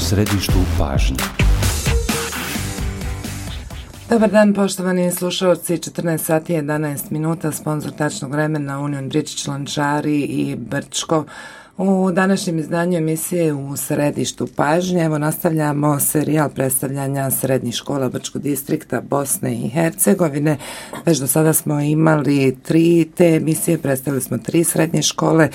središtu pažnje. Dobar dan, poštovani slušalci, 14 sati 11 minuta, sponzor tačnog vremena Union Bridge, Lončari i Brčko. U današnjem izdanju emisije U središtu pažnje, evo nastavljamo serijal predstavljanja srednjih škola Brčkog distrikta Bosne i Hercegovine. Već do sada smo imali 3 te emisije, predstavili smo 3 srednje škole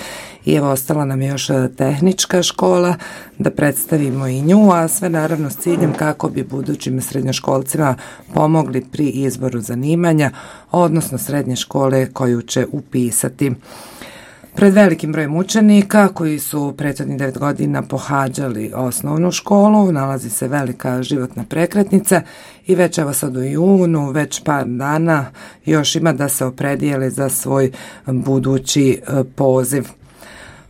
i evo ostala nam je još tehnička škola da predstavimo i nju, a sve naravno s ciljem kako bi budućim srednjoškolcima pomogli pri izboru zanimanja, odnosno srednje škole koju će upisati. Pred velikim brojem učenika koji su prethodnih 9 godina pohađali osnovnu školu nalazi se velika životna prekretnica i već evo sad u junu, već par dana još ima da se opredijele za svoj budući poziv.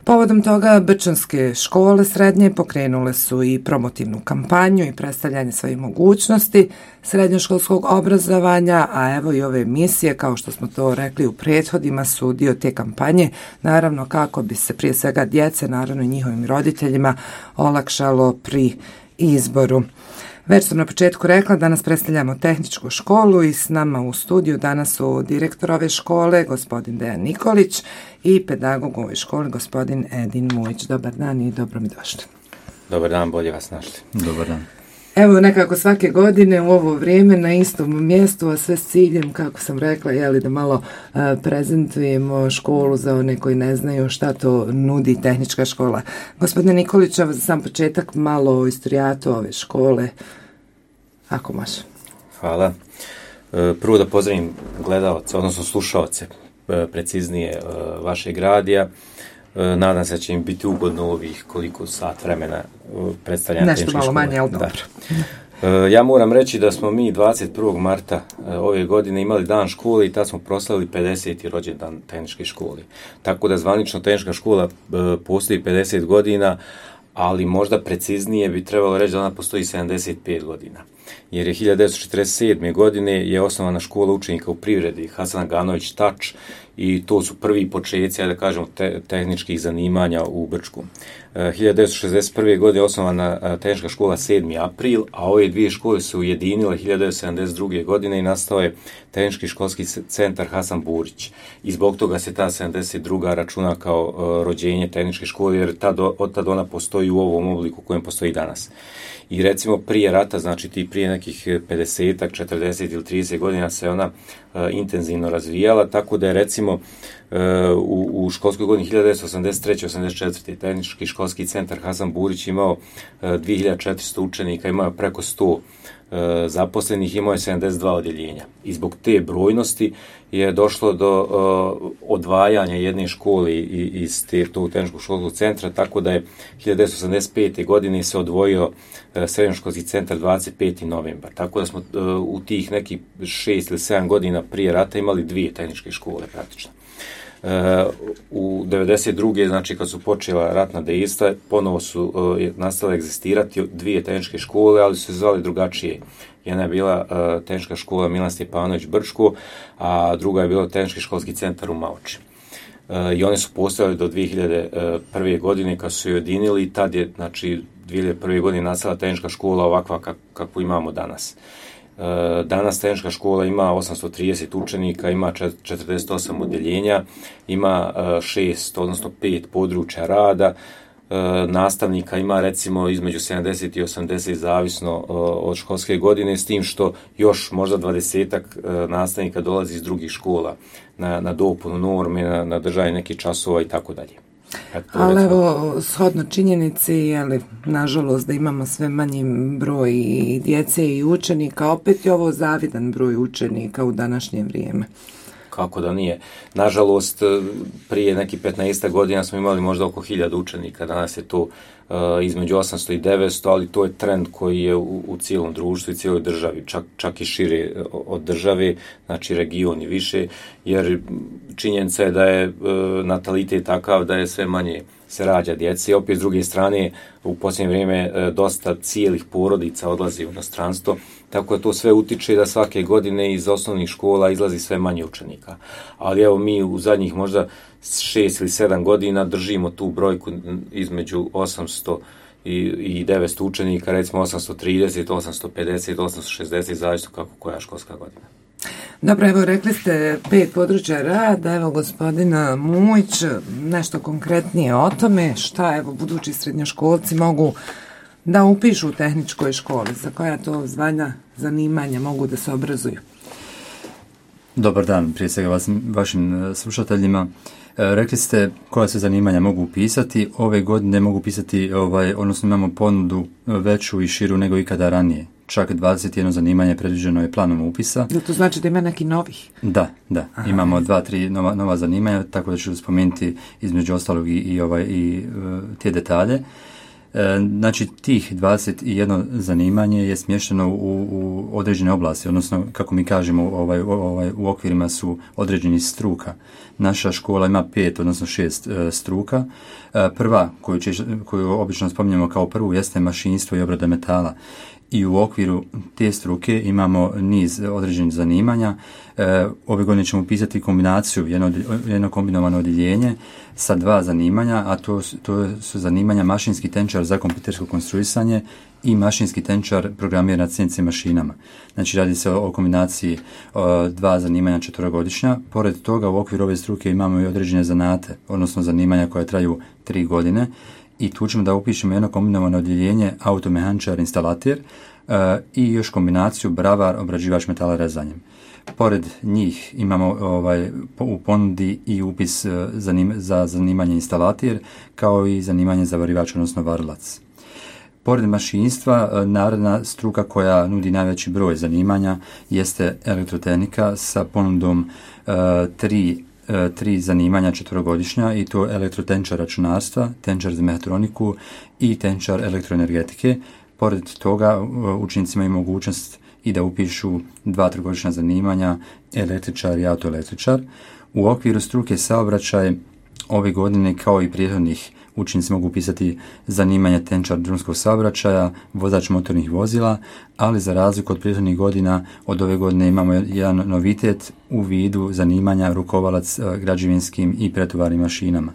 Povodom toga brčanske škole srednje pokrenule su i promotivnu kampanju i predstavljanje svojih mogućnosti srednjoškolskog obrazovanja, a evo i ove emisije, kao što smo to rekli u prethodima, su dio te kampanje, naravno kako bi se prije svega djece, naravno i njihovim roditeljima, olakšalo pri izboru. Već sam na početku rekla, danas predstavljamo tehničku školu i s nama u studiju danas su direktor ove škole, gospodin Dejan Nikolić, i pedagog u ovoj školi, gospodin Edin Mujić. Dobar dan i dobro mi došli. Dobar dan, bolje vas našli. Dobar dan. Evo nekako svake godine u ovo vrijeme na istom mjestu, a sve s ciljem, kako sam rekla, da malo prezentujemo školu za one koji ne znaju šta to nudi tehnička škola. Gospodine Nikolić, za sam početak malo o istorijatu ove škole, ako može. Hvala. Prvo da pozdravim gledalce, odnosno slušalce, preciznije vašeg radija. Nadam se da će im biti ugodno ovih koliko sat vremena predstavljanja tehničke škole. Nešto malo manje, ali dobro. Ja moram reći da smo mi 21. marta ove godine imali dan škole i tad smo proslavili 50. rođendan tehničke škole. Tako da zvanično tehnička škola postoji 50 godina, ali možda preciznije bi trebalo reći da ona postoji 75 godina. Jer je 1947. godine je osnovana škola učenika u privredi Hasan Aganović Tač i to su prvi početci, da kažemo, tehničkih zanimanja u Brčku. 1961. godine je osnovana tehnička škola 7. april, a ove dvije škole su ujedinile 1972. godine i nastao je tehnički školski centar Hasan Burić. I zbog toga se ta 72. računa kao rođenje tehničke škole, jer od tada ona postoji u ovom obliku u kojem postoji danas. I recimo prije rata, znači prije nekih 50, 40 ili 30 godina se ona intenzivno razvijala, tako da je recimo u školskoj godini 1983-84. tehnički školski centar Hasan Burić imao 2400 učenika, imao preko 100 zaposlenih, imao je 72 odjeljenja. I zbog te brojnosti je došlo do odvajanja jedne škole iz tog tehničkog školskog centra, tako da je 1985. godine se odvojio srednjoškolski centar 25. novembar. Tako da smo u tih nekih 6 ili 7 godina prije rata imali 2 tehničke škole praktično. U 92. znači kad su počela ratna dejstva, ponovo su nastale egzistirati 2 tehničke škole, ali su se zvali drugačije. Jedna je bila tehnička škola Milan Stjepanović Brčko, a druga je bila tehnički školski centar u Maoči. I one su postojale do 2001. godine kad su se ujedinili i tad je, znači, 2001. godine nastala tehnička škola ovakva kakvu imamo danas. Danas tehnička škola ima 830 učenika, ima 48 odjeljenja, ima 6, odnosno 5 područja rada, nastavnika ima recimo između 70 i 80 zavisno od školske godine, s tim što još možda 20-ak nastavnika dolazi iz drugih škola na dopunu norme, na držanje nekih časova i tako dalje. Ali evo, shodno činjenici, nažalost da imamo sve manji broj i djece i učenika, opet je ovo zavidan broj učenika u današnje vrijeme. Kako da nije. Nažalost, prije nekih 15 godina smo imali možda oko 1000 učenika, danas je to između 800 i 900, ali to je trend koji je u cijelom društvu i cijeloj državi, čak i šire od države, znači region i više, jer činjenica je da je natalitet takav da je sve manje se rađa djece i opet s druge strane u posljednje vrijeme dosta cijelih porodica odlazi u inostranstvo, tako da to sve utiče da svake godine iz osnovnih škola izlazi sve manje učenika. Ali evo mi u zadnjih možda 6 ili 7 godina držimo tu brojku između 800 i 900 učenika, recimo 830, 850, 860, zavisno kako koja školska godina. Dobro, evo rekli ste 5 područja rada, evo gospodina Mujić, nešto konkretnije o tome, šta evo budući srednjoškolci mogu da upišu u tehničkoj školi, za koja to zvanja, zanimanja mogu da se obrazuju. Dobar dan, prije svega vašim slušateljima. Rekli ste koja se zanimanja mogu upisati. Ove godine mogu upisati, odnosno imamo ponudu veću i širu nego ikada ranije. Čak 21 zanimanje predviđeno je planom upisa. To znači da ima neki novih? Da. Aha. Imamo 2-3 nova zanimanja, tako da ću spomenuti između ostalog i te detalje. Znači, tih 21 zanimanje je smješteno u određene oblasti, odnosno, kako mi kažemo, u okvirima su određenih struka. Naša škola ima 5, odnosno 6 struka. Prva, koju obično spominjemo kao prvu, jeste mašinstvo i obrada metala. I u okviru te struke imamo niz određenih zanimanja. Ove godine ćemo upisati kombinaciju, jedno kombinovano odjeljenje sa 2 zanimanja, a to su zanimanja mašinski tenčar za kompjutersko konstruisanje i mašinski tenčar programira na CNC mašinama. Znači, radi se o kombinaciji 2 zanimanja 4-godišnja. Pored toga, u okviru ove struke imamo i određene zanate, odnosno zanimanja koja traju 3 godine. I tu ćemo da upišemo jedno kombinovano odjeljenje automehaničar instalater i još kombinaciju bravar obrađivač metala rezanjem. Pored njih imamo u ponudi i upis za zanimanje instalater kao i zanimanje zavarivač, odnosno varilac. Pored mašinstva, naredna struka koja nudi najveći broj zanimanja jeste elektrotehnika sa ponudom 3 zanimanja 4-godišnja i to elektrotenčar računarstva, tenčar za mehatroniku i tenčar elektroenergetike. Pored toga učenicima imaju mogućnost i da upišu 2 3-godišnja zanimanja električar i autoelektričar. U okviru struke saobraćaj ove godine kao i prethodnih učenici mogu upisati zanimanje tenčar drumskog saobraćaja, vozač motornih vozila, ali za razliku od prethodnih godina, od ove godine imamo jedan novitet u vidu zanimanja rukovalac građevinskim i pretovarnim mašinama.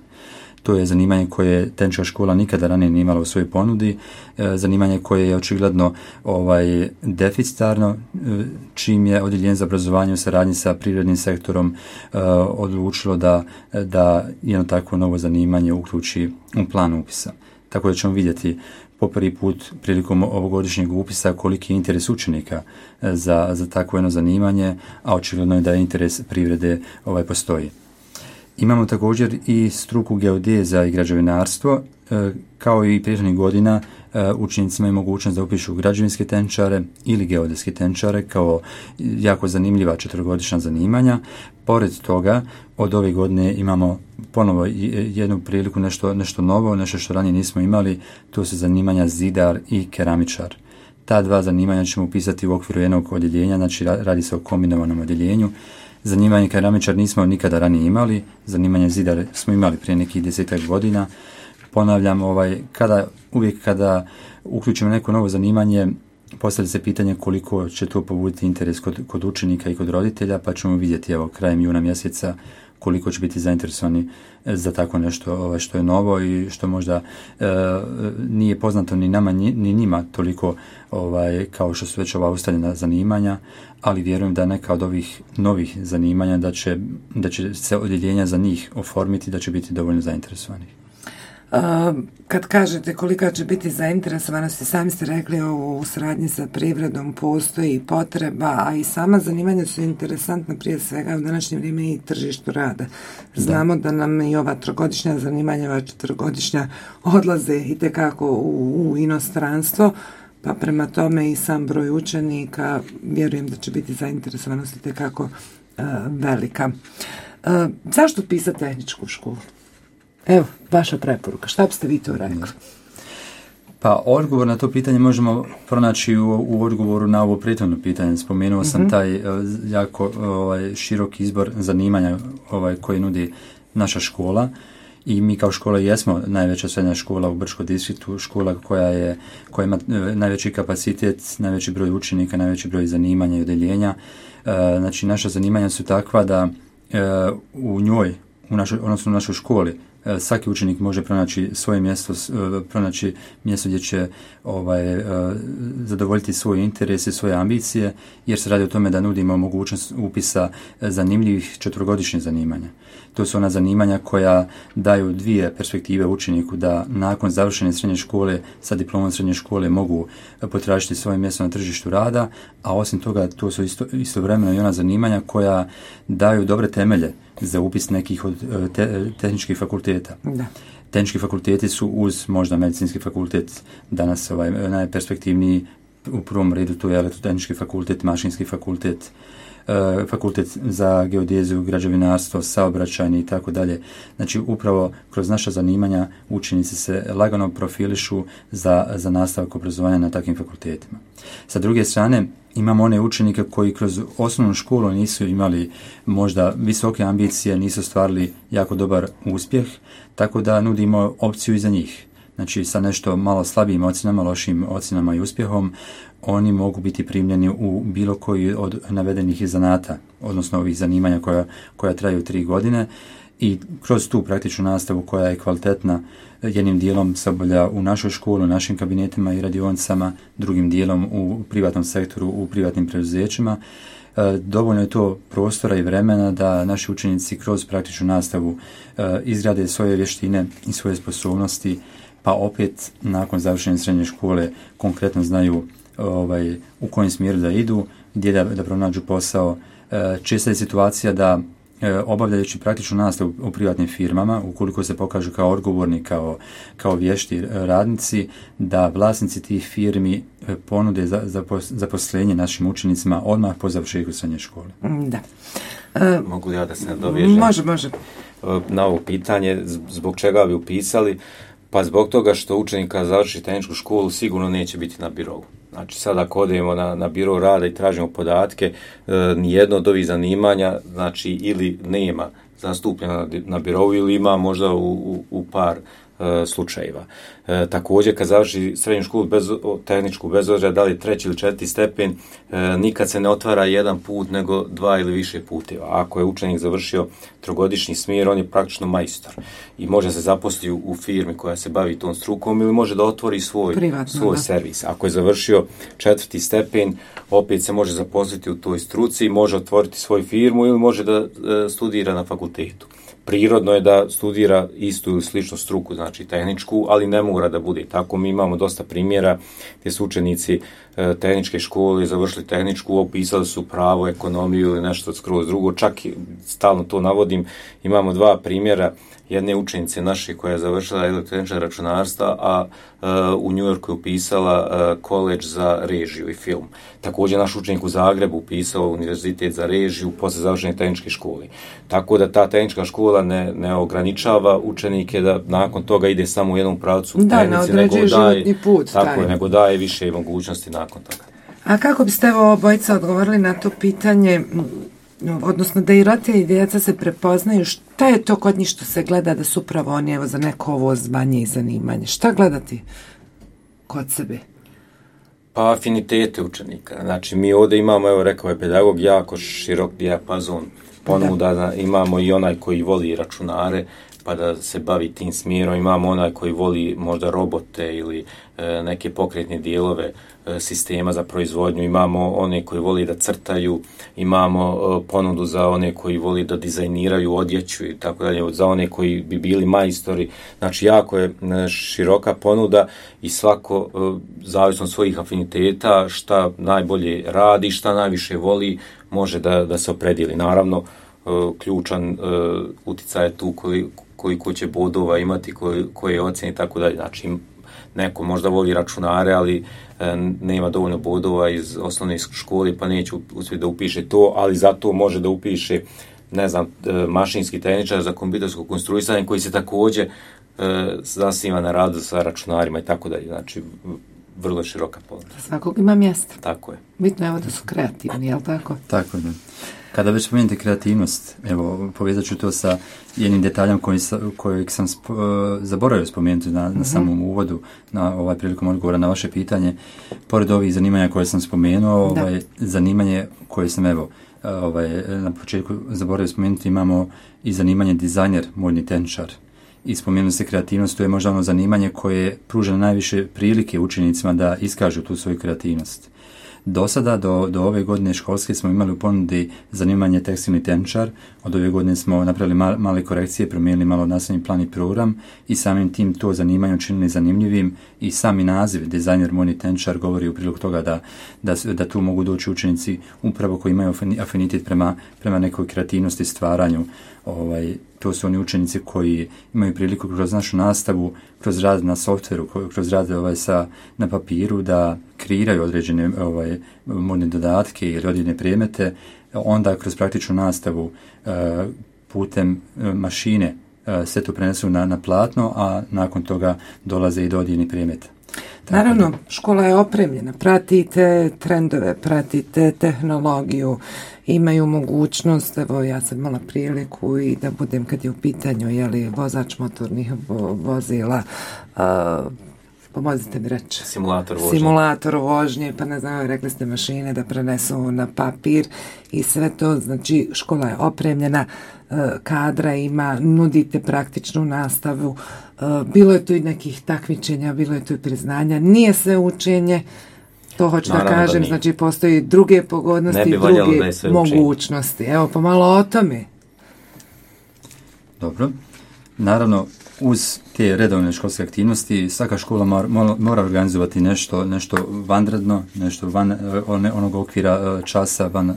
To je zanimanje koje tenčarska škola nikada ranije nije imala u svojoj ponudi, zanimanje koje je očigledno deficitarno, čim je odjeljenje za obrazovanje u saradnji sa privrednim sektorom odlučilo da jedno takvo novo zanimanje uključi u plan upisa. Tako da ćemo vidjeti po prvi put prilikom ovogodišnjeg upisa koliki je interes učenika za takvo jedno zanimanje, a očigledno je da interes privrede postoji. Imamo također i struku geodeza i građevinarstvo, kao i prethodnih godina učenicima je mogućnost da upišu građevinske tenčare ili geodetske tenčare kao jako zanimljiva 4-godišnja zanimanja. Pored toga, od ove godine imamo ponovo jednu priliku, nešto novo, nešto što ranije nismo imali, to su zanimanja zidar i keramičar. Ta 2 zanimanja ćemo upisati u okviru jednog odjeljenja, znači radi se o kombinovanom odjeljenju. Zanimanje keramičar nismo nikada ranije imali, zanimanje zidar smo imali prije nekih 10 godina. Ponavljam, uvijek kada uključimo neko novo zanimanje, postavlja se pitanje koliko će to pobuditi interes kod učenika i kod roditelja, pa ćemo vidjeti krajem juna mjeseca koliko će biti zainteresovani za tako nešto što je novo i što možda nije poznato ni nama ni njima toliko kao što su već ova ustaljena zanimanja, ali vjerujem da neka od ovih novih zanimanja da će se odjeljenja za njih oformiti, da će biti dovoljno zainteresovani. Kad kažete kolika će biti zainteresovanost, sami ste rekli u saradnji sa privredom postoji potreba, a i sama zanimanja su interesantna prije svega u današnje vrijeme i tržištu rada. Znamo da nam i ova 3-godišnja zanimanja, ova 4-godišnja odlaze itekako u inostranstvo, pa prema tome i sam broj učenika vjerujem da će biti zainteresovanost itekako velika. Zašto pisati tehničku školu? Evo, vaša preporuka. Šta biste vi to rekli? Pa, odgovor na to pitanje možemo pronaći u odgovoru na ovo prethodno pitanje. Spomenuo sam taj jako širok izbor zanimanja koji nudi naša škola i mi kao škola jesmo najveća srednja škola u Brčkom distriktu, škola koja ima najveći kapacitet, najveći broj učenika, najveći broj zanimanja i odjeljenja. Znači, naša zanimanja su takva da u njoj, odnosno u našoj školi, svaki učenik može pronaći svoje mjesto, pronaći mjesto gdje će zadovoljiti svoje interese, svoje ambicije, jer se radi o tome da nudimo mogućnost upisa zanimljivih 4-godišnjih zanimanja. To su ona zanimanja koja daju dvije perspektive učeniku, da nakon završene srednje škole sa diplomom srednje škole mogu potražiti svoje mjesto na tržištu rada, a osim toga to su istovremeno i ona zanimanja koja daju dobre temelje za upis nekih od tehničkih fakulteta. Da. Tehnički fakulteti su uz možda medicinski fakultet danas najperspektivniji, u prvom redu to je elektrotehnički fakultet, mašinski fakultet, fakultet za geodeziju, građevinarstvo, saobraćajni i tako dalje. Znači upravo kroz naša zanimanja učenici se lagano profilišu za nastavak obrazovanja na takvim fakultetima. Sa druge strane, imamo one učenike koji kroz osnovnu školu nisu imali možda visoke ambicije, nisu ostvarili jako dobar uspjeh, tako da nudimo opciju i za njih. Znači sa nešto malo slabijim ocjenama, lošim ocjenama i uspjehom, oni mogu biti primljeni u bilo koji od navedenih zanata, odnosno ovih zanimanja koja traju 3 godine, i kroz tu praktičnu nastavu koja je kvalitetna, jednim dijelom se obavlja u našoj školi, u našim kabinetima i radionicama, drugim dijelom u privatnom sektoru, u privatnim preduzećima. Dovoljno je to prostora i vremena da naši učenici kroz praktičnu nastavu izgrade svoje vještine i svoje sposobnosti, pa opet nakon završene srednje škole konkretno znaju u kojem smjeru da idu, gdje da pronađu posao. Česta je situacija da obavljajući praktičnu nastavu u privatnim firmama, ukoliko se pokažu kao odgovorni, kao vješti radnici, da vlasnici tih firmi ponude zaposlenje našim učenicima odmah po završetku srednje škole. Da. Mogu ja da se nadovežem? Može. Na ovo pitanje, zbog čega bi upisali? Pa zbog toga što učenik kada završi tehničku školu sigurno neće biti na birovu. Znači sad ako odemo na biro rada i tražimo podatke, nijedno od ovih zanimanja znači ili nema zastupljena na birovu ili ima možda u par slučajeva. Također kad završi srednju školu tehničku, bez obzira da li 3. ili 4. stepen, nikad se ne otvara jedan put nego 2 ili više puteva. Ako je učenik završio 3-godišnji smjer, on je praktično majstor i može se zaposliti u firmi koja se bavi tom strukom ili može da otvori svoj servis. Ako je završio 4. stepen, opet se može zaposliti u toj struci, može otvoriti svoju firmu ili može da studira na fakultetu. Prirodno je da studira istu ili sličnu struku, znači tehničku, ali ne mora da bude tako. Mi imamo dosta primjera gdje su učenici tehničke škole završili tehničku, upisali su pravo, ekonomiju ili nešto skroz drugo. Čak stalno to navodim, imamo 2 primjera. Jedne učenice naše koja je završila elektrotehničko računarstva, a u New Yorku je upisala koledž za režiju i film. Također naš učenik u Zagrebu upisao univerzitet za režiju poslije završene tehničke škole. Tako da ta tehnička škola ne ograničava učenike da nakon toga ide samo u jednom pravcu u tehnici, nego daje više mogućnosti nakon toga. A kako biste obojica odgovorili na to pitanje, odnosno da i roditelji i djeca se prepoznaju, šta je to kod njih što se gleda da su upravo oni za neko ovo zvanje i zanimanje? Šta gledati kod sebe? Pa afinitete učenika. Znači mi ovdje imamo, rekao je pedagog, jako širok dijapazon ponuda, imamo i onaj koji voli računare, pa da se bavi tim smjerom, imamo onaj koji voli možda robote ili neke pokretne dijelove sistema za proizvodnju, imamo one koji voli da crtaju, imamo ponudu za one koji voli da dizajniraju odjeću i tako dalje, za one koji bi bili majstori. Znači jako je široka ponuda i svako zavisno od svojih afiniteta šta najbolje radi, šta najviše voli, može da se opredijeli. Naravno, ključan utjecaj je tu koliko će bodova imati, koje ocjene i tako dalje. Znači, neko možda voli računare, ali nema dovoljno bodova iz osnovne škole, pa neće uspjeti da upiše to, ali zato može da upiše, mašinski tehničar za kompjutersko konstruisanje, koji se također zasniva na radu sa računarima i tako dalje. Znači, vrlo široka ponuda. Svakog ima mjesta. Tako je. Bitno je da su kreativni, je li tako? Tako je. Kada već spomenete kreativnost, evo, povezat ću to sa jednim detaljem kojeg sam zaboravio spomenuti na samom uvodu, na prilikom odgovora na vaše pitanje. Pored ovih zanimanja koje sam spomenuo, zanimanje koje sam na početku zaboravio spomenuti, imamo i zanimanje dizajner, modni tehničar. i spomenuli se kreativnost, to je možda ono zanimanje koje pruža najviše prilike učenicima da iskažu tu svoju kreativnost. Do sada, do ove godine školske smo imali u ponudi zanimanje tekstilni tenčar. Od ove godine smo napravili male korekcije, promijenili malo nastavni plan i program i samim tim to zanimanje učinili zanimljivim i sami naziv dizajner modni tenčar govori u prilog toga da tu mogu doći učenici upravo koji imaju afinitet prema nekoj kreativnosti, stvaranju. To su oni učenici koji imaju priliku kroz našu nastavu, kroz rad na softveru, kroz rad na papiru da kreiraju određene modne dodatke ili određene predmete, onda kroz praktičnu nastavu putem mašine sve to prenesu na platno, a nakon toga dolaze i do određenih predmeta. Naravno, škola je opremljena, pratite trendove, pratite tehnologiju, imaju mogućnost, evo ja sam imala priliku i da budem kad je u pitanju vozač motornih vozila, pomozite mi reći. Simulator vožnje, pa ne znam, rekli ste mašine da prenesu na papir i sve to, znači škola je opremljena, kadra ima, nudite praktičnu nastavu, bilo je tu i nekih takmičenja, bilo je tu i priznanja, nije sve učenje, to hoću da kažem, znači postoji druge pogodnosti, druge mogućnosti. Evo, pomalo o tome. Dobro. Naravno, uz te redovne školske aktivnosti, svaka škola mora organizovati nešto vanredno, nešto van onog okvira časa, van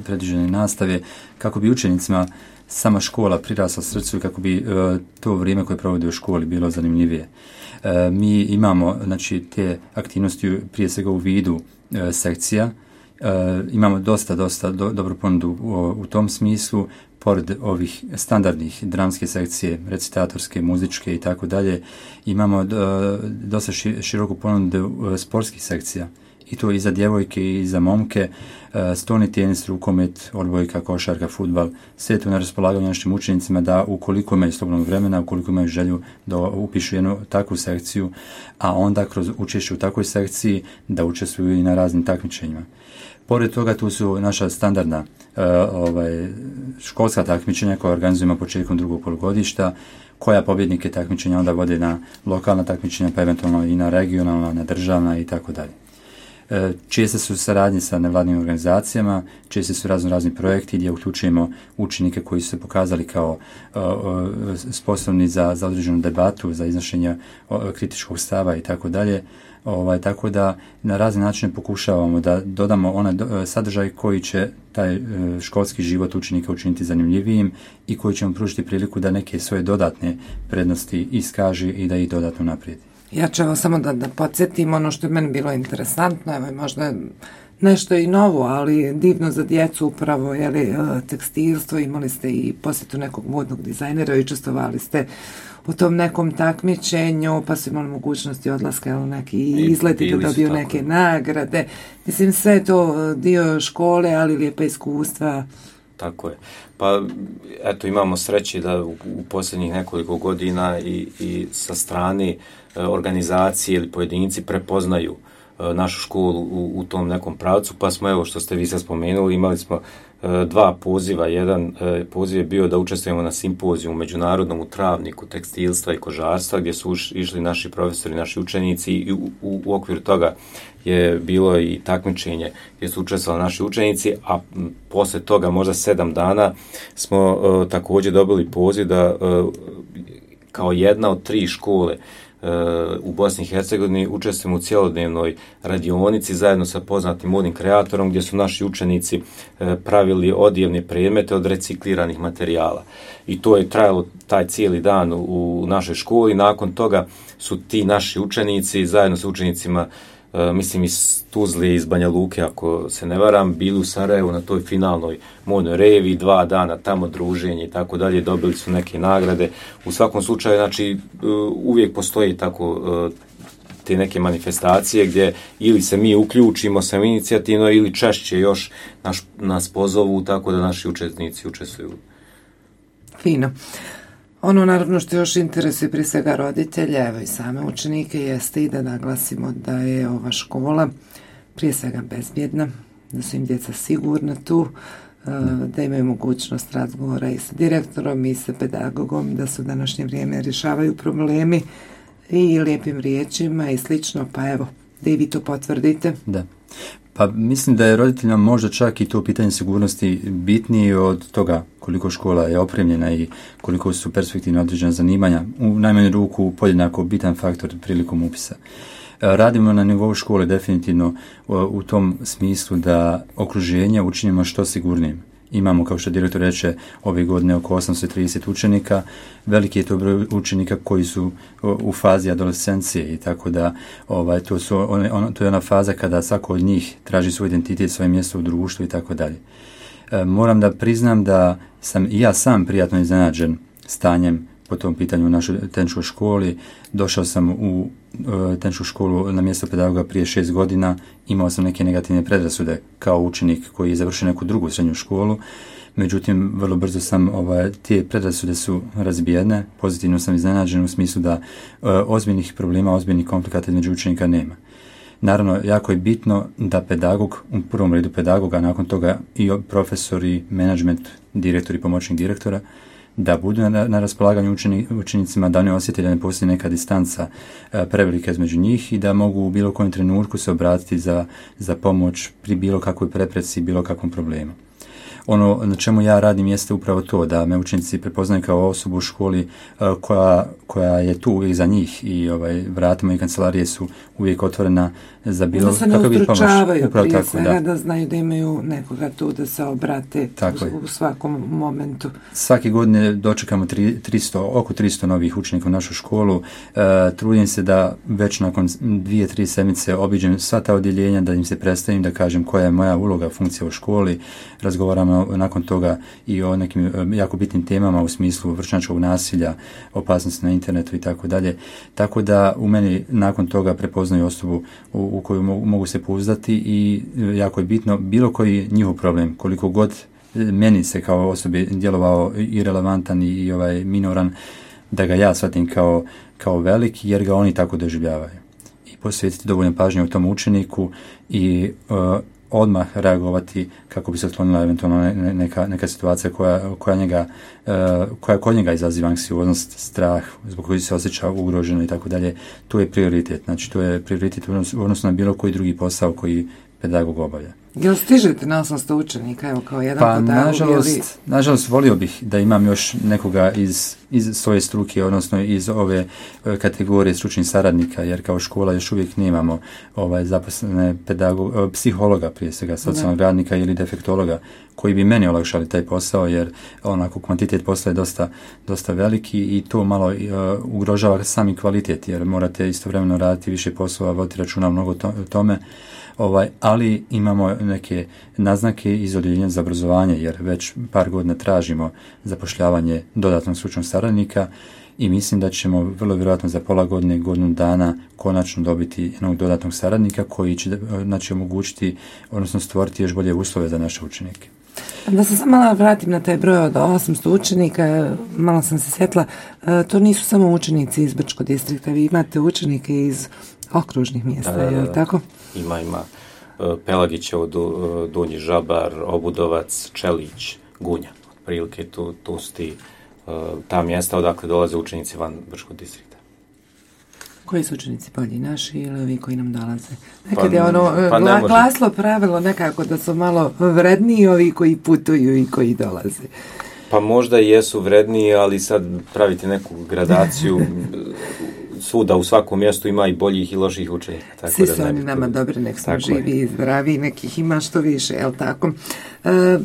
predviđene nastave, kako bi učenicima sama škola prirasla srcu i kako bi to vrijeme koje provode u školi bilo zanimljivije. Mi imamo te aktivnosti prije svega u vidu sekcija. Imamo dosta dobru ponudu u tom smislu. Pored ovih standardnih dramske sekcije, recitatorske, muzičke i tako dalje, imamo dosta široku ponudu sportskih sekcija. I to i za djevojke i za momke, stolni tenis, rukomet, odbojka, košarka, fudbal, sve to na raspolaganju našim učenicima da ukoliko imaju slobodnog vremena, ukoliko imaju želju da upišu jednu takvu sekciju, a onda kroz učešće u takvoj sekciji da učestvuju i na raznim takmičenjima. Pored toga tu su naša standardna školska takmičenja koja organizujemo početkom drugog polugodišta, koja pobjednike takmičenja onda vode na lokalna takmičenja, pa eventualno i na regionalna, na državna i tako dalje. Česte su saradnje sa nevladnim organizacijama, česte su razni projekti gdje uključujemo učenike koji su se pokazali kao sposobni za određenu debatu, za iznošenje kritičkog stava i tako dalje. Tako da na razne načine pokušavamo da dodamo onaj sadržaj koji će taj školski život učenika učiniti zanimljivijim i koji će mu pružiti priliku da neke svoje dodatne prednosti iskaže i da ih dodatno naprijedi. Ja ću evo samo da podsjetim ono što je meni bilo interesantno, evo možda nešto i novo, ali divno za djecu upravo, tekstilstvo, imali ste i posjetu nekog modnog dizajnera i učestvovali ste u tom nekom takmičenju, pa su imali mogućnosti odlaska, neki izleti da dobiju neke nagrade. Mislim, sve je to dio škole, ali lijepa iskustva. Tako je. Pa, eto, imamo sreće da u posljednjih nekoliko godina i sa strane organizacije ili pojedinci prepoznaju našu školu u tom nekom pravcu, pa smo, evo što ste vi sad spomenuli, imali smo 2 poziva. Jedan poziv je bio da učestvujemo na simpozijumu međunarodnom u Travniku tekstilstva i kožarstva, gdje su išli naši profesori, naši učenici i u okviru toga je bilo i takmičenje gdje su učestvovali naši učenici, a poslije toga možda 7 dana smo također dobili poziv da kao jedna od 3 škole u Bosni i Hercegovini učestvujemo u cjelodnevnoj radionici zajedno sa poznatim modnim kreatorom gdje su naši učenici pravili odjevne predmete od recikliranih materijala. I to je trajalo taj cijeli dan u našoj školi. Nakon toga su ti naši učenici zajedno sa učenicima mislim iz Tuzle, iz Banja Luke, ako se ne varam, bili u Sarajevu na toj finalnoj modnoj revi, 2 dana tamo druženje i tako dalje, dobili su neke nagrade. U svakom slučaju, znači, uvijek postoji tako te neke manifestacije gdje ili se mi uključimo sam inicijativno ili češće još nas pozovu tako da naši učesnici učestvuju. Fino. Ono naravno što još interesuje prije svega roditelje, evo i same učenike, jeste i da naglasimo da je ova škola prije svega bezbjedna, da su im djeca sigurna tu, da imaju mogućnost razgovora i sa direktorom i sa pedagogom, da se u današnje vrijeme rješavaju problemi i lijepim riječima i slično, pa evo, da i vi to potvrdite. Da. Pa mislim da je roditeljima možda čak i to pitanje sigurnosti bitnije od toga koliko škola je opremljena i koliko su perspektivno određena zanimanja. U najmanju ruku podjednako bitan faktor prilikom upisa. Radimo na nivou škole definitivno u tom smislu da okruženje učinimo što sigurnijim. Imamo, kao što direktor reče, ove godine oko 830 učenika. Veliki je to broj učenika koji su u fazi adolescencije i tako da to je ona faza kada svako od njih traži svoj identitet, svoje mjesto u društvu i tako dalje. Moram da priznam da sam i ja sam prijatno iznenađen stanjem po tom pitanju u našoj tehničkoj školi. Došao sam u tehničku školu na mjesto pedagoga prije 6 godina, imao sam neke negativne predrasude kao učenik koji je završio neku drugu srednju školu, međutim vrlo brzo sam, te predrasude su razbijene, pozitivno sam iznenađen u smislu da ozbiljnih problema, ozbiljnih konflikata između učenika nema. Naravno, jako je bitno da pedagog, u prvom redu pedagoga, nakon toga i profesori, menadžment, direktori, pomoćnik direktora, da budu na raspolaganju učenicima, da ne osjete da ne postoji neka distanca prevelika između njih i da mogu u bilo kojem trenutku se obratiti za pomoć pri bilo kakvoj prepreci, bilo kakvom problemu. Ono na čemu ja radim jeste upravo to, da me učenici prepoznaju kao osobu u školi koja je tu uvijek za njih i vrata moje kancelarije su uvijek otvorena za bilo kakav pomoć. Da se ne ustručavaju prije svega, da znaju da imaju nekoga tu da se obrate u svakom momentu. Svake godine dočekamo oko 300 novih učenika u našu školu. Trudim se da već nakon 2-3 sedmice obiđem sva ta odjeljenja, da im se predstavim, da kažem koja je moja uloga, funkcija u školi. Razgovaramo nakon toga i o nekim jako bitnim temama u smislu vršnjačkog nasilja, opasnosti na internetu i tako dalje. Tako da u meni nakon toga prepoznaju osobu u koju mogu se pouzdati i jako je bitno bilo koji njihov problem, koliko god meni se kao osobi djelovao irelevantan i minoran, da ga ja shvatim kao velik, jer ga oni tako doživljavaju. I posvetiti dovoljno pažnje u tom učeniku i odmah reagovati kako bi se otklonila eventualno neka situacija koja kod njega izaziva anksioznost, strah, zbog koji se osjeća ugroženo i tako dalje. To je prioritet. Znači, to je prioritet u odnosu na bilo koji drugi posao koji pedagog obavlja. Jel stižete na 800 učenika, evo kao jedan pedagog? Nažalost, volio bih da imam još nekoga iz svoje struke, odnosno iz ove kategorije stručnih saradnika, jer kao škola još uvijek nemamo zaposlene psihologa, prije svega socijalnog radnika ili defektologa, koji bi meni olakšali taj posao, jer onako kvantitet posla je dosta veliki i to malo ugrožava sami kvalitet, jer morate istovremeno raditi više poslova, voditi računa mnogo tome. Ali imamo neke naznake iz odjeljenja za obrazovanje, jer već par godina tražimo zapošljavanje dodatnog stručnog saradnika i mislim da ćemo vrlo vjerojatno za pola godine, godinu dana konačno dobiti jednog dodatnog saradnika koji će omogućiti, odnosno stvoriti još bolje uslove za naše učenike. Da se samo malo vratim na taj broj od 800 učenika, malo sam se sjetila, to nisu samo učenici iz Brčkog distrikta, vi imate učenike iz okružnih mjesta, je li tako? Ima Pelagićevo, Donji Žabar, Obudovac, Čelić, Gunja. Otprilike tu su ta mjesta odakle dolaze učenici van Brčkog distrikta. Koji su učenici bolji, naši ili ovi koji nam dolaze? Nekad je glaslo pravilo nekako da su malo vredniji ovi koji putuju i koji dolaze. Pa možda i jesu vredniji, ali sad praviti neku gradaciju svuda u svakom mjestu ima i boljih i loših učenika. Svi su oni nama dobri, nek smo živi i zdravi, nekih ima što više, jel tako?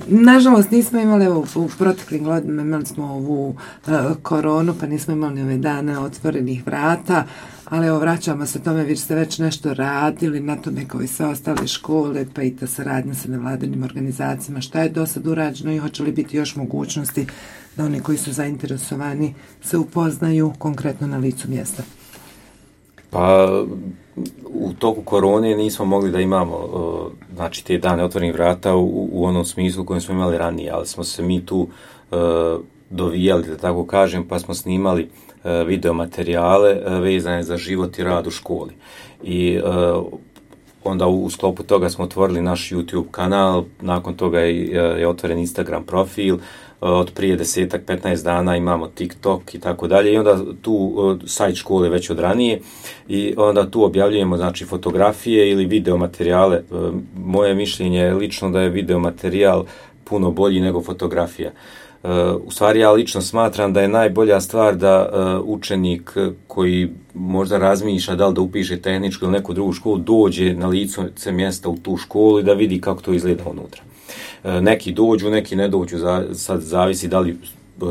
Nažalost nismo imali, u proteklim godinama imali smo ovu koronu, pa nismo imali ove dane otvorenih vrata, ali evo vraćamo se tome, vi ste već nešto radili na tome kao i sve ostale škole, pa i ta saradnja sa nevladinim organizacijama, šta je do sad urađeno i hoće li biti još mogućnosti da oni koji su zainteresovani se upoznaju konkretno na licu mjesta? Pa u toku korone nismo mogli da imamo te dane otvorenih vrata u onom smislu kojem smo imali ranije, ali smo se mi tu dovijali, da tako kažem, pa smo snimali video materijale vezane za život i rad u školi. I onda u sklopu toga smo otvorili naš YouTube kanal, nakon toga je otvoren Instagram profil, od prije 10-15 dana imamo TikTok i tako dalje, i onda tu sajt škole već od ranije, i onda tu objavljujemo znači fotografije ili video materijale. Moje mišljenje je lično da je video materijal puno bolji nego fotografija. U stvari ja lično smatram da je najbolja stvar da učenik koji možda razmišlja da li da upiše tehničku ili neku drugu školu dođe na lice mjesta u tu školu i da vidi kako to izgleda unutra. Neki dođu, neki ne dođu, sad zavisi da li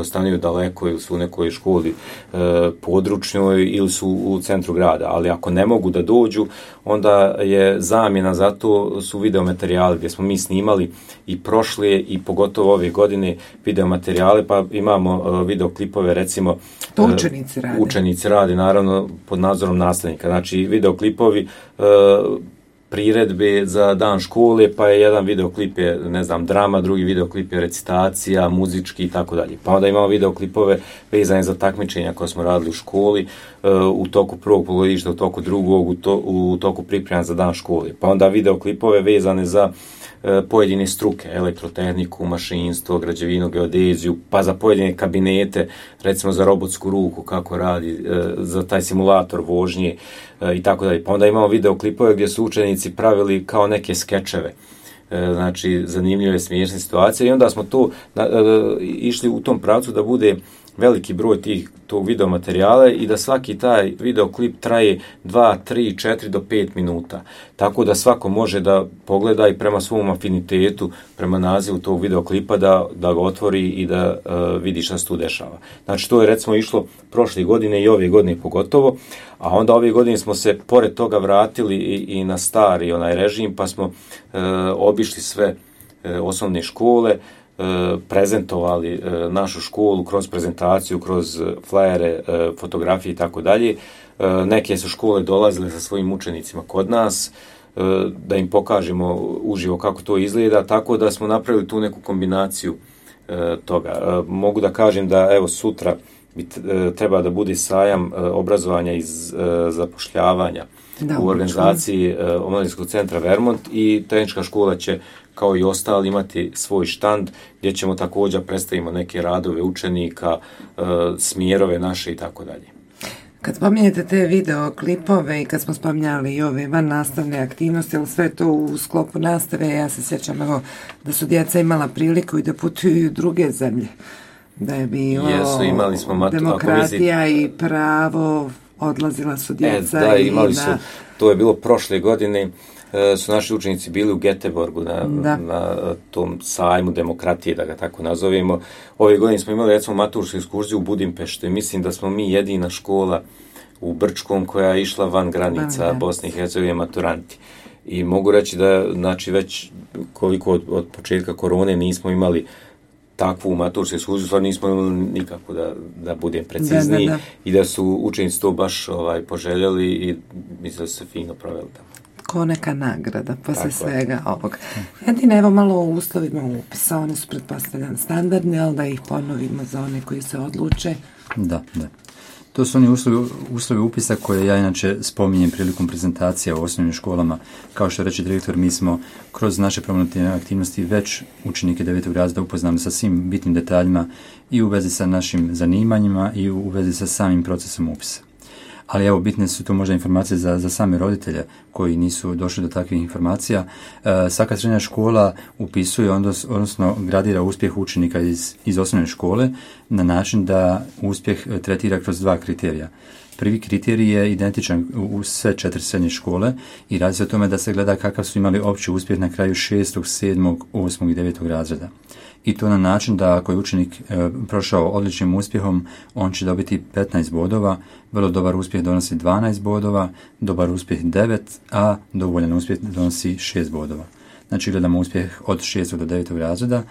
stanuju daleko ili su u nekoj školi područnoj ili su u centru grada, ali ako ne mogu da dođu, onda je zamjena za to su videomaterijali gdje smo mi snimali i prošle i pogotovo ove godine videomaterijale, pa imamo videoklipove, recimo to učenici rade. Učenici rade, naravno, pod nadzorom nastavnika. Znači, videoklipovi priredbe za dan škole, pa je jedan videoklip je, ne znam, drama, drugi videoklip je recitacija, muzički i tako dalje. Pa onda imamo videoklipove vezane za takmičenja koje smo radili u školi, u toku prvog polugodišta, u toku drugog, u toku priprema za dan škole. Pa onda videoklipove vezane za pojedine struke, elektrotehniku, mašinstvo, građevinu, geodeziju, pa za pojedine kabinete, recimo za robotsku ruku, kako radi, za taj simulator vožnje i tako dalje. Pa onda imamo videoklipove gdje su učenici pravili kao neke skečeve, znači zanimljive, smiješne situacije, i onda smo to išli u tom pravcu da bude veliki broj tog videomaterijala i da svaki taj videoklip traje 2, 3, 4 do 5 minuta. Tako da svako može da pogleda i prema svom afinitetu, prema nazivu tog videoklipa da ga otvori i da vidi šta se tu dešava. Znači to je recimo išlo prošle godine i ove godine pogotovo, a onda ove godine smo se pored toga vratili i na stari onaj režim, pa smo obišli sve osnovne škole, prezentovali našu školu kroz prezentaciju, kroz flajere, fotografije i tako dalje. Neke su škole dolazile sa svojim učenicima kod nas da im pokažemo uživo kako to izgleda, tako da smo napravili tu neku kombinaciju toga. Mogu da kažem da evo sutra treba da bude sajam obrazovanja i zapošljavanja u organizaciji Omladinskog centra Vermont, i tehnička škola će kao i ostali imati svoj štand gdje ćemo također predstavimo neke radove učenika, smjerove naše i tako dalje. Kad spominjete te videoklipove i kad smo spominjali i ove van nastavne aktivnosti, ali sve to u sklopu nastave, ja se sjećam evo, da su djeca imala priliku i da putuju u druge zemlje, da je bilo imali smo demokratija i pravo, odlazila su djeca. Da, imali su, to je bilo prošle godine, su naši učenici bili u Göteborgu na tom sajmu demokratije, da ga tako nazovemo. Ove godine smo imali recimo matursku ekskurziju u Budimpeštu i mislim da smo mi jedina škola u Brčkom koja je išla van granica Bosne i Hercegovine maturanti. I mogu reći da znači već koliko od početka korone nismo imali takvu matursku ekskurziju, stvarno nismo imali nikako, da budem precizniji, i da su učenici to baš poželjeli i mislim da su se fino proveli tamo. Ko neka nagrada posle svega ovog. Jedine, evo malo o uslovima upisa, one su pretpostavljam standardni, ali da ih ponovimo za one koji se odluče. Da. To su oni uslovi upisa koje ja inače spominjem prilikom prezentacija u osnovnim školama. Kao što reče direktor, mi smo kroz naše promotivne aktivnosti već učenike 9. razreda upoznali sa svim bitnim detaljima i u vezi sa našim zanimanjima i u vezi sa samim procesom upisa. Ali evo, bitne su to možda informacije za same roditelje koji nisu došli do takvih informacija. Svaka srednja škola upisuje, odnosno gradira uspjeh učenika iz osnovne škole na način da uspjeh tretira kroz 2 kriterija. Prvi kriterij je identičan u sve 4 srednje škole i radi se o tome da se gleda kakav su imali opći uspjeh na kraju 6., 7., 8. i 9. razreda. I to na način da ako je učenik prošao odličnim uspjehom, on će dobiti 15 bodova, vrlo dobar uspjeh donosi 12 bodova, dobar uspjeh 9, a dovoljan uspjeh donosi 6 bodova. Znači gledamo uspjeh od 6. do 9. razreda.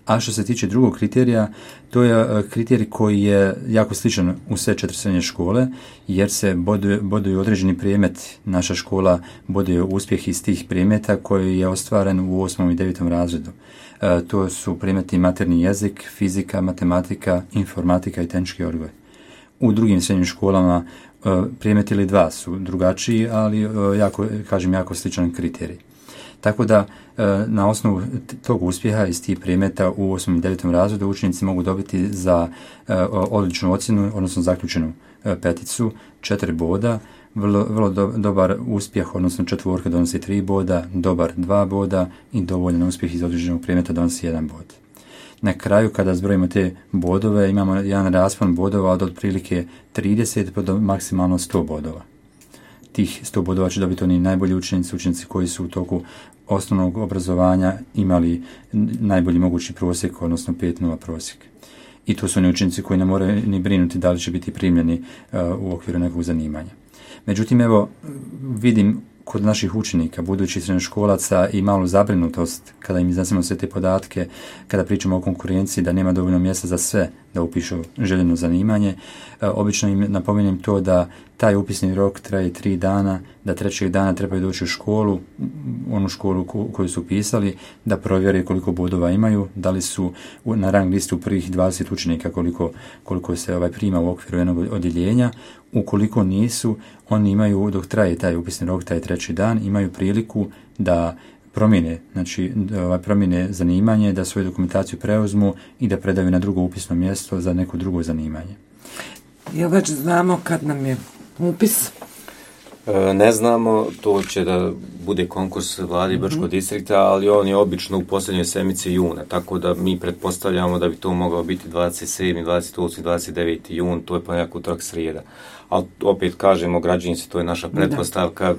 A što se tiče drugog kriterija, to je kriterij koji je jako sličan u sve 4 srednje škole, jer se boduju određeni predmet. Naša škola boduje uspjeh iz tih predmeta koji je ostvaren u 8. i 9. razredu. To su predmeti materni jezik, fizika, matematika, informatika i tehnički odgoj. U drugim srednjim školama Predmet ili dva su drugačiji, ali jako sličan kriterij. Tako da na osnovu tog uspjeha iz tih predmeta u 8. i 9. razredu učenici mogu dobiti za odličnu ocjenu, odnosno zaključenu peticu, 4 boda, vrlo dobar uspjeh, odnosno četvorka donosi 3 boda, dobar 2 boda i dovoljan uspjeh iz određenog predmeta donosi 1 bod. Na kraju, kada zbrojimo te bodove, imamo jedan raspon bodova od otprilike 30 pa do maksimalno 100 bodova. Tih 100 bodova će dobiti oni najbolji učenici koji su u toku osnovnog obrazovanja imali najbolji mogući prosjek, odnosno 5.0 prosjek. I to su oni učenici koji ne moraju ni brinuti da li će biti primljeni u okviru nekog zanimanja. Međutim, evo, vidim kod naših učenika, budućih srednjoškolaca i malu zabrinutost kada im iznesemo sve te podatke, kada pričamo o konkurenciji, da nema dovoljno mjesta za sve da upišu željeno zanimanje. Obično im napominjem to da taj upisni rok traje 3 dana, da 3. dana trebaju doći u školu, onu školu koju su upisali, da provjere koliko bodova imaju, da li su na rang listu prvih 20 učenika koliko se prima u okviru jednog odjeljenja. Ukoliko nisu, oni imaju, dok traje taj upisni rok, taj 3. dan, imaju priliku da promijene zanimanje, da svoju dokumentaciju preuzmu i da predaju na drugo upisno mjesto za neko drugo zanimanje. Jel već znamo kad nam je upis? Ne znamo, to će da bude konkurs vladi Brčkog distrikta, ali on je obično u posljednjoj sedmici juna, tako da mi pretpostavljamo da bi to mogao biti 27., 28., 29. jun, to je ponedjeljak, utorak, srijeda. Ali opet kažemo, građanici, to je naša pretpostavka,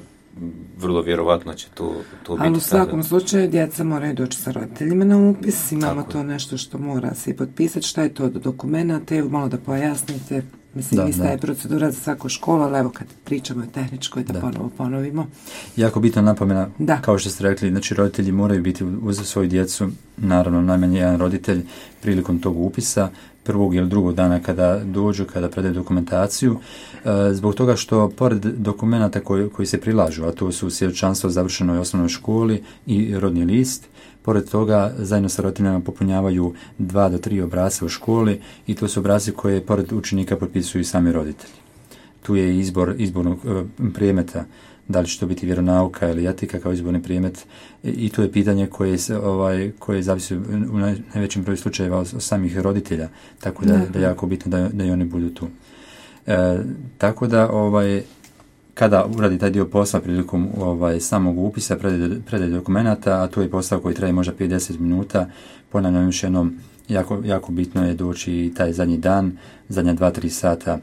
vrlo vjerovatno će to biti. Ali u svakom slučaju djeca moraju doći sa roditeljima na upis, imamo to nešto što mora se potpisati, šta je to od dokumenta, evo malo da pojasnite. Mislim, ista je procedura za svaku školu, ali evo kad pričamo o tehničkoj, da ponovo ponovimo. Jako bitna napomena, kao što ste rekli, znači roditelji moraju biti uz svoju djecu, naravno najmanje jedan roditelj prilikom tog upisa, prvog ili drugog dana kada dođu, kada predaju dokumentaciju, zbog toga što pored dokumenta koji se prilažu, a to su svjedočanstvo o završenoj osnovnoj školi i rodni list, pored toga zajedno sa roditeljima popunjavaju 2 do 3 obrasca u školi i to su obrasci koje pored učenika potpisuju sami roditelji. Tu je izbornog predmeta, da li će to biti vjeronauka ili etika kao izborni predmet, i to je pitanje koje zavisi u najvećem broju slučajeva od samih roditelja, tako da je jako bitno da i oni budu tu. Tako da kada uradi taj dio posla prilikom samog upisa, predaje dokumenata, a to je posao koji traje možda 50 minuta, ponavljam još jednom, jako bitno je doći i taj zadnji dan, zadnja 2-3 sata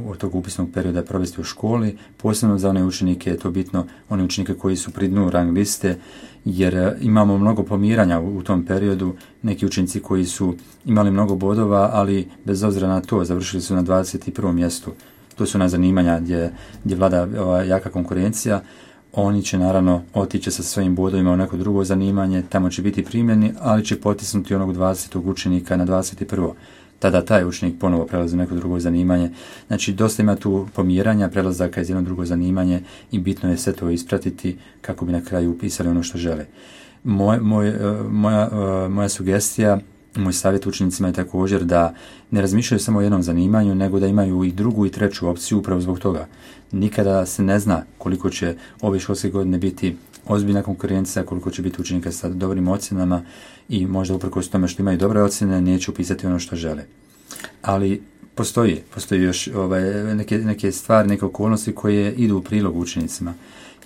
od tog upisnog perioda provesti u školi, posebno za one učenike je to bitno, one učenike koji su pri dnu rang liste, jer imamo mnogo pomiranja u tom periodu, neki učenici koji su imali mnogo bodova, ali bez obzira na to završili su na 21. mjestu. To su ona zanimanja gdje vlada jaka konkurencija. Oni će naravno otići sa svojim bodovima u neko drugo zanimanje, tamo će biti primljeni, ali će potisnuti onog 20. učenika na 21. Tada taj učenik ponovo prelazi u neko drugo zanimanje. Znači, dosta ima tu pomjeranja, prelazaka iz jedno drugo zanimanje i bitno je sve to ispratiti kako bi na kraju upisali ono što žele. Moja sugestija, moj savjet učenicima je također da ne razmišljaju samo o jednom zanimanju, nego da imaju i drugu i treću opciju upravo zbog toga. Nikada se ne zna koliko će ove školske godine biti ozbiljna konkurencija, koliko će biti učenika sa dobrim ocjenama i možda uprkos tome što imaju dobre ocjene neće upisati ono što žele. Ali postoji još neke stvari, neke okolnosti koje idu u prilog učenicima.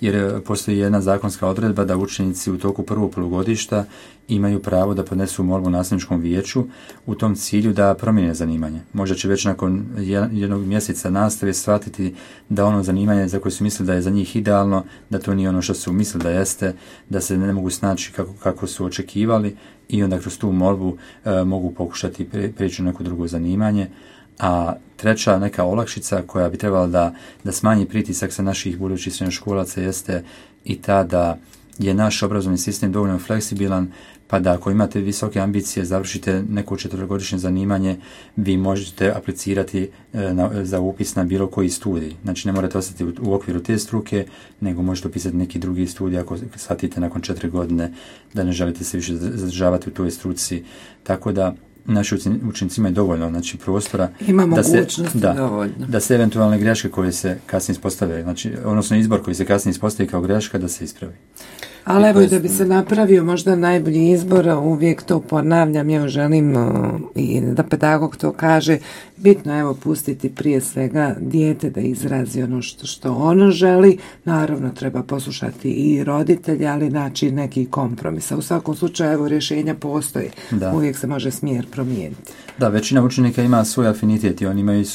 Jer postoji jedna zakonska odredba da učenici u toku prvog polugodišta imaju pravo da podnesu molbu nastavničkom vijeću u tom cilju da promijene zanimanje. Možda će već nakon jednog mjeseca nastave shvatiti da ono zanimanje za koje su mislili da je za njih idealno, da to nije ono što su mislili da jeste, da se ne mogu snaći kako su očekivali i onda kroz tu molbu mogu pokušati prijeći u neko drugo zanimanje. A treća neka olakšica koja bi trebala da smanji pritisak sa naših budućih srednjoškolaca jeste i ta da je naš obrazovni sistem dovoljno fleksibilan, pa da ako imate visoke ambicije, završite neko 4-godišnje zanimanje, vi možete aplicirati za upis na bilo koji studij. Znači ne morate ostati u okviru te struke, nego možete upisati neki drugi studij ako shvatite nakon 4 godine da ne želite se više zadržavati u toj struci. Tako da naši učenici imaju dovoljno, znači, prostora da se eventualne greške koje se kasnije ispostavljaju, znači, odnosno izbor koji se kasnije ispostavi kao greška, da se ispravi. Ali evo, da bi se napravio možda najbolji izbor, uvijek to ponavljam, ja želim i da pedagog to kaže, bitno evo pustiti prije svega dijete da izrazi ono što ono želi, naravno treba poslušati i roditelji, ali naći neki kompromis. U svakom slučaju evo rješenja postoje, uvijek se može smjer promijeniti. Da, većina učenika ima svoj afinitet i oni imaju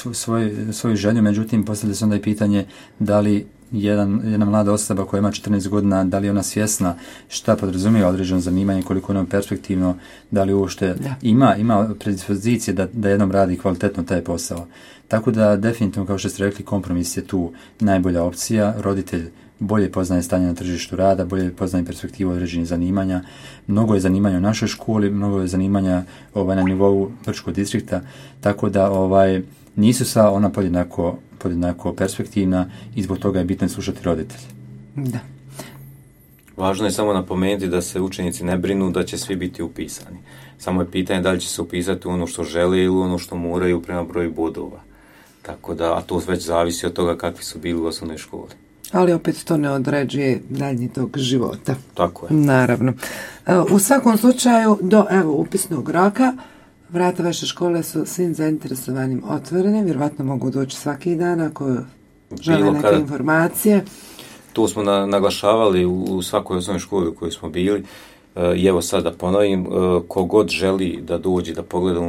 svoju želju, međutim postavlja se onda i pitanje da li jedna mlada osoba koja ima 14 godina, da li je ona svjesna šta podrazumijeva određeno zanimanje, koliko je ono perspektivno, da li uopšte ima predispozicije da jednom radi kvalitetno taj posao. Tako da definitivno, kao što ste rekli, kompromis je tu najbolja opcija. Roditelj bolje poznaje stanje na tržištu rada, bolje poznaje perspektivu određenih zanimanja. Mnogo je zanimanja u našoj školi, mnogo je zanimanja na nivou Brčkog distrikta, tako da nisu sva ona podjednako perspektivna i zbog toga je bitno slušati roditelje. Da. Važno je samo napomenuti da se učenici ne brinu da će svi biti upisani. Samo je pitanje da li će se upisati u ono što žele ili ono što moraju prema broju bodova. Tako da, a to već zavisi od toga kakvi su bili u osnovnoj školi. Ali opet to ne određuje daljnji tog života. Tako je. Naravno. U svakom slučaju, do upisnog roka, vrata vaše škole su svim zainteresovanim otvorene, vjerovatno mogu doći svaki dan ako žele neke informacije. To smo naglašavali u svakoj osnovnoj školi u kojoj smo bili. I evo sad da ponovim, kogod želi da dođe da pogleda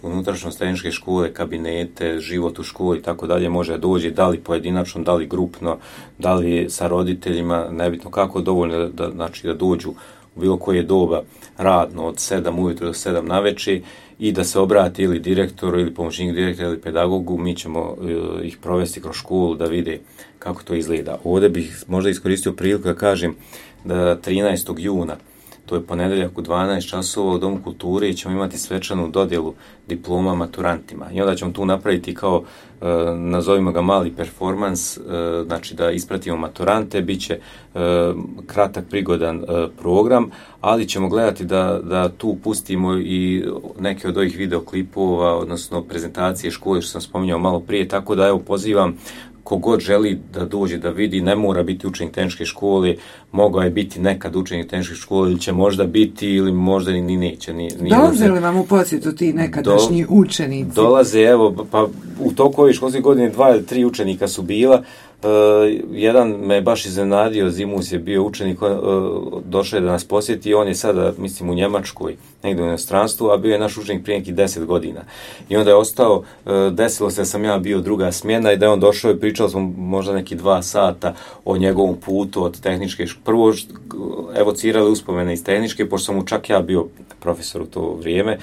unutrašnjost tehničke škole, kabinete, život u školi i tako dalje, može doći, da li pojedinačno, da li grupno, da li sa roditeljima, nebitno kako, dovoljno da dođu u bilo koje doba radno od 7 ujutro do 7 navečer i da se obrati ili direktoru ili pomoćnik direktora ili pedagogu, mi ćemo ih provesti kroz školu da vide kako to izgleda. Ovdje bih možda iskoristio priliku da kažem da 13. juna, to je ponedjeljak u 12 časova u Domu kulture i ćemo imati svečanu dodjelu diploma maturantima. I onda ćemo tu napraviti kao, nazovimo ga mali performans, znači da ispratimo maturante, bit će kratak, prigodan program, ali ćemo gledati da tu pustimo i neke od ovih videoklipova, odnosno prezentacije škole što sam spominjao malo prije, tako da evo pozivam kogod želi da dođe da vidi, ne mora biti učenik tehničke škole, mogao je biti nekad učenik tehničke škole ili će možda biti ili možda ni neće. Dolaze li vam u posjetu ti nekadašnji učenici? Dolaze, evo, pa u toku ove školske godine 2 ili 3 učenika su bila. Jedan me baš iznenadio, Zimus je bio učenik, došao je da nas posjeti i on je sada, mislim, u Njemačkoj, negdje u inostranstvu, a bio je naš učenik prije nekih 10 godina. I onda je ostao, desilo se da sam ja bio druga smjena i da je on došao i pričali smo možda neki 2 sata o njegovom putu od tehničke škole. Prvo evocirali uspomene iz tehničke, pošto sam mu čak ja bio profesor u to vrijeme.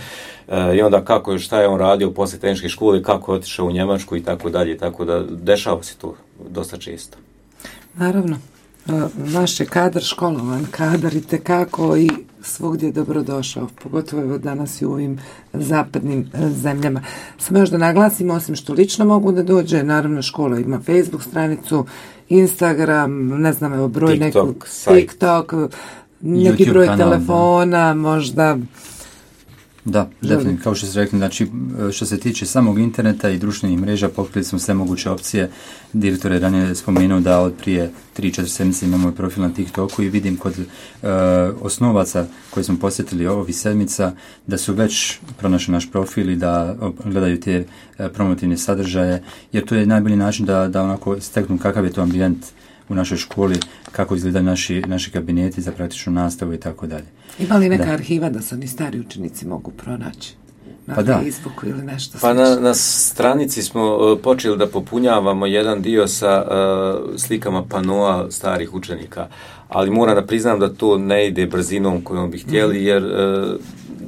I onda šta je on radio poslije tehničke škole, kako je otišao u Njemačku i tako dalje, tako da dešava se to dosta često. Naravno, naš je kadar školovan, kadar i tekako i svugdje je dobrodošao, pogotovo danas i u ovim zapadnim zemljama. Samo još da naglasim, osim što lično mogu da dođe, naravno škola ima Facebook stranicu, Instagram, ne znam, evo broj TikTok, neki broj telefona, možda. Da, definitivno, kao što ste rekli, znači što se tiče samog interneta i društvenih mreža, pokrili smo sve moguće opcije. Direktor je ranije spomenuo da od prije 3-4 sedmice imamo profil na TikToku i vidim kod osnovaca koji smo posjetili ovih sedmica da su već pronašli naš profil i da gledaju te promotivne sadržaje, jer to je najbolji način da onako steknu kakav je to ambijent u našoj školi, kako izgledaju naši kabineti za praktičnu nastavu i tako dalje. Ima li neka arhiva da se oni stari učenici mogu pronaći? Na Facebooku ili nešto? Pa na stranici smo počeli da popunjavamo jedan dio sa slikama panoa starih učenika, ali moram da priznam da to ne ide brzinom kojom bi htjeli, jer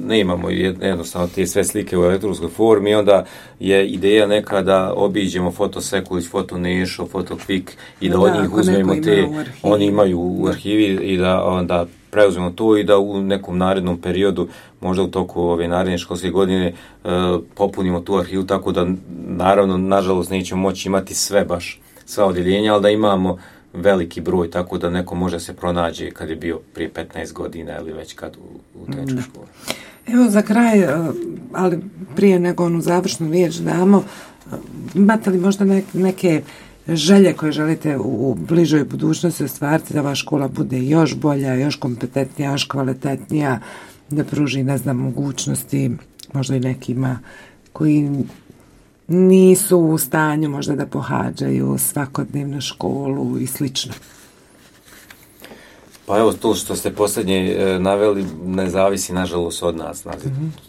ne imamo jednostavno te sve slike u elektronskoj formi i onda je ideja neka da obiđemo Fotosekulić, Fotonešo, Fotokvik i da od njih uzmemo te, oni imaju u arhivi i da onda preuzmemo to i da u nekom narednom periodu, možda u toku ove naredne školske godine, popunimo tu arhivu, tako da naravno, nažalost, nećemo moći imati sva odjeljenja, ali da imamo veliki broj, tako da neko može se pronađe kad je bio prije 15 godina ili već kad u tehničkoj školi. Evo za kraj, ali prije nego onu završnu riječ damo, imate li možda neke želje koje želite u bližoj budućnosti ostvariti da ova škola bude još bolja, još kompetentnija, još kvalitetnija, da pruži, ne znam, mogućnosti možda i nekima koji nisu u stanju možda da pohađaju svakodnevnu školu i slično? Pa evo, to što ste posljednje naveli ne zavisi nažalost od nas.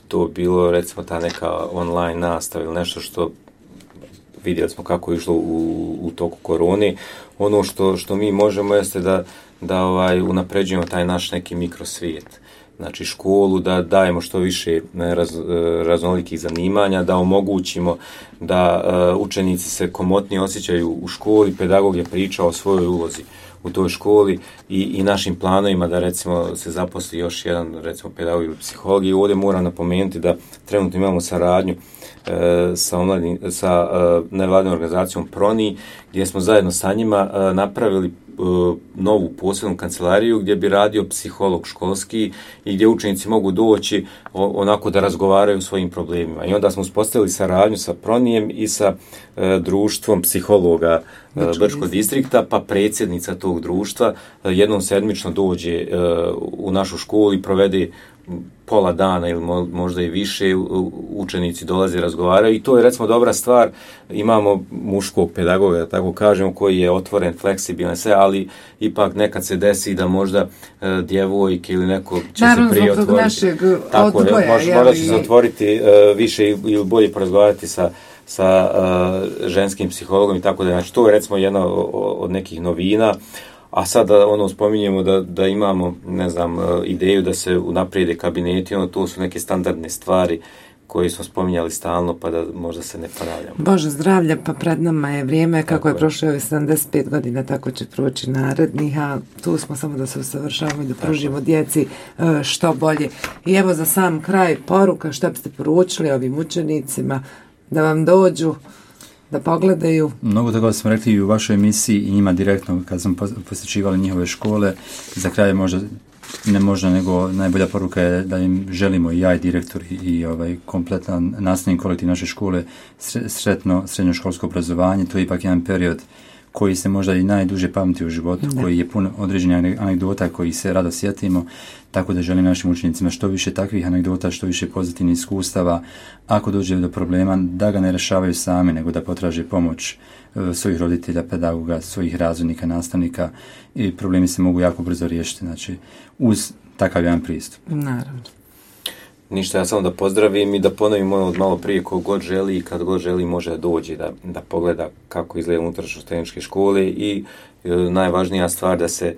To bilo recimo ta neka online nastava ili nešto što vidjeli smo kako je išlo u toku korone. Ono što mi možemo jeste da unapređujemo taj naš neki mikrosvijet. Znači školu, da dajemo što više raznolikih zanimanja, da omogućimo da učenici se komotnije osjećaju u školi, pedagog je pričao o svojoj ulozi u toj školi i našim planovima da recimo se zaposli još jedan recimo pedagog ili psiholog. I ovdje moram napomenuti da trenutno imamo saradnju sa nevladinom organizacijom PRONI, gdje smo zajedno sa njima napravili novu posebnu kancelariju gdje bi radio psiholog školski i gdje učenici mogu doći onako da razgovaraju o svojim problemima. I onda smo uspostavili saradnju sa Pronijem i sa društvom psihologa Brčkog distrikta, pa predsjednica tog društva jednom sedmično dođe u našu školu i provede pola dana ili možda i više, učenici dolaze i razgovaraju i to je recimo dobra stvar. Imamo muškog pedagoga, da tako kažemo, koji je otvoren, fleksibilan, sve, ali ipak nekad se desi da možda djevojke ili neko će se prije otvoriti. Tako je, možda će se otvoriti više ili bolje porazgovarati sa ženskim psihologom i tako da. Znači, to je recimo jedna od nekih novina. A sada spominjemo da imamo, ne znam, ideju da se unaprijede kabineti, to su neke standardne stvari koje smo spominjali stalno, pa da možda se ne ponavljamo. Bože zdravlja, pa pred nama je vrijeme, kako je prošlo 75 godina, tako će proći narednih, a tu smo samo da se usavršavamo i da pružimo djeci što bolje. I evo za sam kraj poruka, što biste poručili ovim učenicima da vam dođu, da pogledaju. Mnogo toga smo rekli i u vašoj emisiji i njima direktno kad smo posjećivali njihove škole. Za kraj nego najbolja poruka je da im želimo i ja i direktor i kompletan nastavni kolektiv naše škole sretno srednjoškolsko obrazovanje. To je ipak jedan period koji se možda i najduže pamti u životu, koji je pun određenih anegdota koji se rado sjetimo, tako da želim našim učenicima što više takvih anegdota, što više pozitivnih iskustava. Ako dođe do problema, da ga ne rješavaju sami, nego da potraže pomoć svojih roditelja, pedagoga, svojih razrednika, nastavnika i problemi se mogu jako brzo riješiti, znači uz takav jedan pristup. Naravno. Ništa, ja samo da pozdravim i da ponovim od malo prije, ko god želi i kad god želi može da dođe da pogleda kako izgleda unutrašnjost tehničke škole i najvažnija stvar da se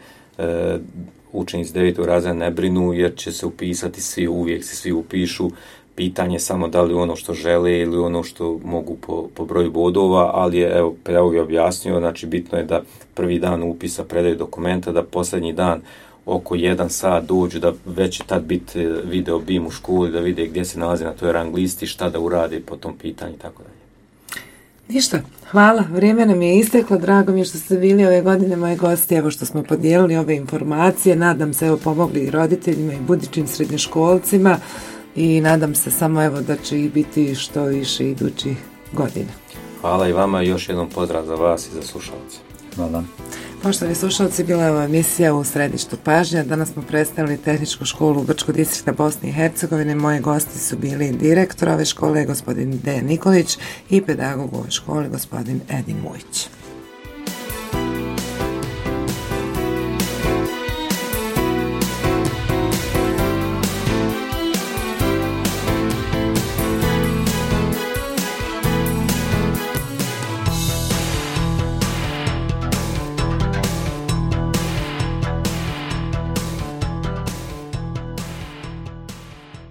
učenici 9. razreda ne brinu jer će se upisati svi, uvijek se svi upišu. Pitanje samo da li ono što žele ili ono što mogu po broju bodova, ali je, evo, pedagog je objasnio, znači bitno je da prvi dan upisa predaju dokumenta, da posljednji dan oko 1 sat dođu, da već će tad biti video BIM u školi, da vide gdje se nalazi na toj rang listi, šta da urade po tom pitanju i tako dalje. Ništa, hvala, vrijeme nam je isteklo, drago mi je što ste bili ove godine moji gosti, evo što smo podijelili ove informacije, nadam se evo pomogli i roditeljima i budućim srednjoškolcima i nadam se samo evo da će ih biti što više idućih godina. Hvala i vama i još jednom pozdrav za vas i za slušalce. Hvala. Poštovani slušalci, bila je ova emisija u središtu pažnje. Danas smo predstavili tehničku školu Brčkog distrikta Bosne i Hercegovine. Moji gosti su bili direktor ove škole, gospodin Dejan Nikolić, i pedagog ove škole, gospodin Edin Mujić.